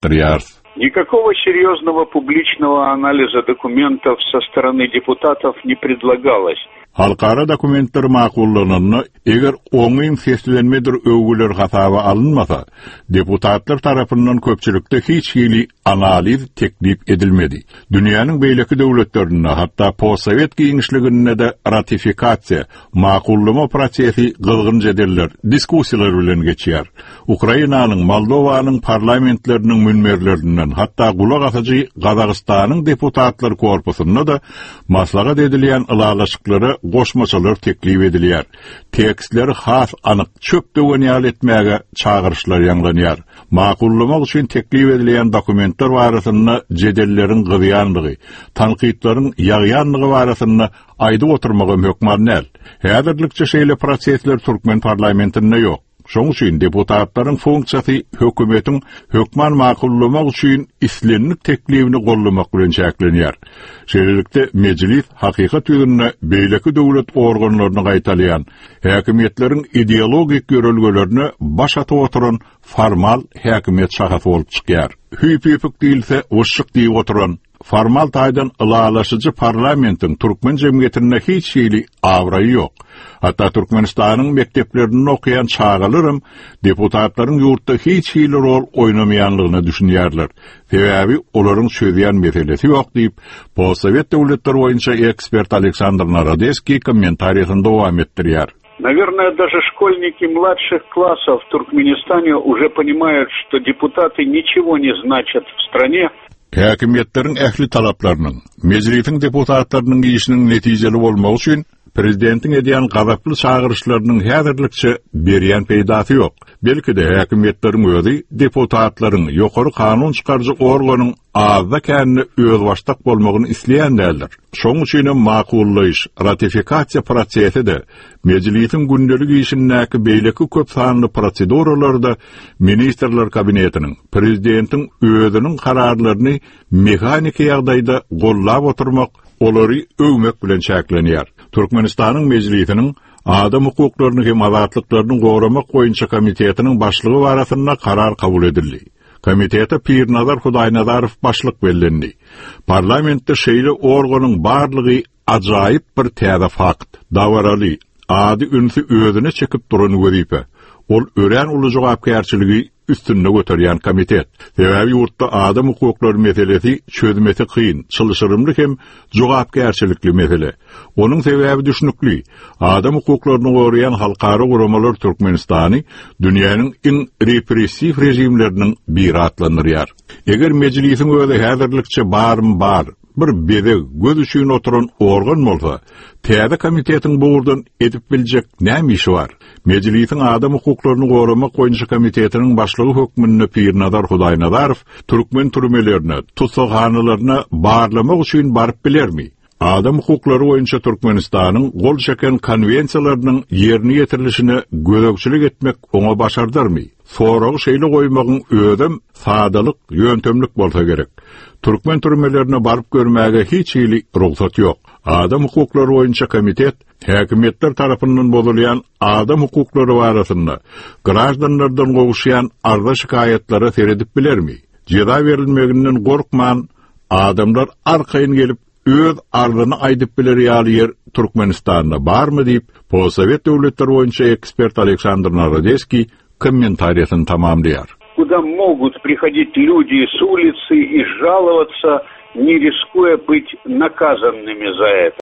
Ýatdyrýarys. Никакого серьезного публичного анализа документов со стороны депутатов не предлагалось. Halkara dokumentler makullananda, eger oňyn seslenmedir öwgüler hasaba alynmasa, deputatlar tarapyndan köpçülikde hiç hili analiz teklip edilmedi. Dünýäniň beýleki döwletlerinde, hatda postsowet giňişliginde-de ratifikasiýa, makullama prosesi gyzgyn jedeller, diskussiýalar bilen geçýär. Ukrainanyň, Moldowanyň parlamentleriniň münberlerinden, hatda gulak asyjy Gazagystanyň deputatlar korpusynda-da maslahat edilýän ylalaşyklara goşmaçalar teklip edilýär. Tekstleri has anyk, çöp döwen ýaly etmäge çagyryşlar ýaňlanýar. Makullamak üçin teklip edilýän dokumentler barasynda jedelleriň gyzýandygy, tankytlaryň ýagýandygy barasynda aýdyp oturmagam hökman däl. Häzirlikçe şeýle prosesler türkmen parlamentinde ýok. Şoň üçin deputatlaryň funksiýasy hökümetiň hökman makullamak üçin islendik teklibini goldamak bilen çäklenýär. Şeýlelikde, Mejlis hakykat ýüzünde beýleki döwlet organlaryny gaýtalaýan, häkimiýetleriň ideologik ýörelgelerine baş atyp oturan formal häkimiýet şahasy bolup çykýar. Hüýp-hüýpük diýilse, wyşşyk diýip oturan, Formal taýdan ylalaşyjy parlamentiň türkmen jemgyýetinde hiç hili abraýy ýok. Hatda Türkmenistanyň mekdeplerinde okaýan çagalaram deputatlaryň ýurtda hiç hili rol oýnamaýanlygyna düşünýärler. Sebäbi olaryň çözýän meselesi ýok diýip, postsowet döwletleri boýunça ekspert Aleksandr Narodeskiý kommentariýasyny dowam etdirýär. Наверное, даже школьники младших классов в Туркменистане уже понимают, что депутаты ничего не значат в стране. Häkimiýetleriň ähli talaplarynyň, Mejlisiň deputatlarynyň işiniň netijeli bolmagy üçin prezidentiň edýän gazaply çagyryşlarynyň häzirlikçe berýän peýdasy ýok. Belki-de, häkimiýetleriň özi deputatlaryň, ýokary kanun çykaryjy organyň azda-kände özbaşdak bolmagyny isleýän däldir. Şoň üçinem makullaýyş, ratifikasiýa prosesi-de, Mejlisiň gündelik işindäki beýleki köp sanly proseduralar-da Ministrler Kabinetiniň, Prezidentiň özüniň kararlaryny mehaniki ýagdaýda gollap oturmak, olary öwmek bilen çäklenýär. Türkmenistanyň Mejlisiniň Adam hukuklaryny hem azatlyklaryny goramak boýunça komitetiniň başlygy barasynda karar kabul edildi. Komitete Pirnazar Hudaýnazarow başlyk bellendi. Parlamentde şeýle organyň barlygy ajaýyp bir täze fakt. Dabaraly, ady ünsi özüne çekip duran wezipe. Ol örän uly jogapkärçiligi üstünde göterýän komitet. Sebäbi ýurtda adam hukuklary meselesi çözmesi kyn, çylşyrymly hem jogapkärçilikli mesele. Onuň sebäbi düşnükli. Adam hukuklaryny goraýan halkara guramalar Türkmenistany dünýäniň iň repressiw režimleriniň biri atlandyrýar. Eger Mejlisiň özi häzirlikçe barym bar, bir bezeg, göz üçin oturan organ bolsa, täze komitetiň bu ugurdan edip biljek näme işi bar? Mejlisiň Adam hukuklaryny goramak boýunça komitetiniň başlygy hökmünde Pirnazar Hudaýnazarow türkmen türmelerine, tussaghanalaryna barlamak üçin baryp bilermi? Adam hukuklary boýunça Türkmenistanyň gol çeken konwensiýalarynyň ýerine ýetirilişine gözegçilik etmek oňa başardarmy? Soragy şeýle goýmagyň özem sadalyk, ýöntemlik bolsa gerek. Türkmen türmelerine baryp görmäge hiç hili rugsat ýok. Adam hukuklary boýunça komitet häkimiýetler tarapyndan bozulýan adam hukuklary barasynda graždanlardan gowuşýan arza-şikaýatlara seredip bilermi? Jeza berilmeginden gorkman, adamlar arkaýyn gelip, öz arzyny aýdyp biler ýaly ýer Türkmenistanda barmy diýip, postsowet döwletleri boýunça ekspert Aleksandr Narodeskiý kommentariýasyny tamamlaýar. Куда могут приходить люди с улицы и жаловаться, не рискуя быть наказанными за это.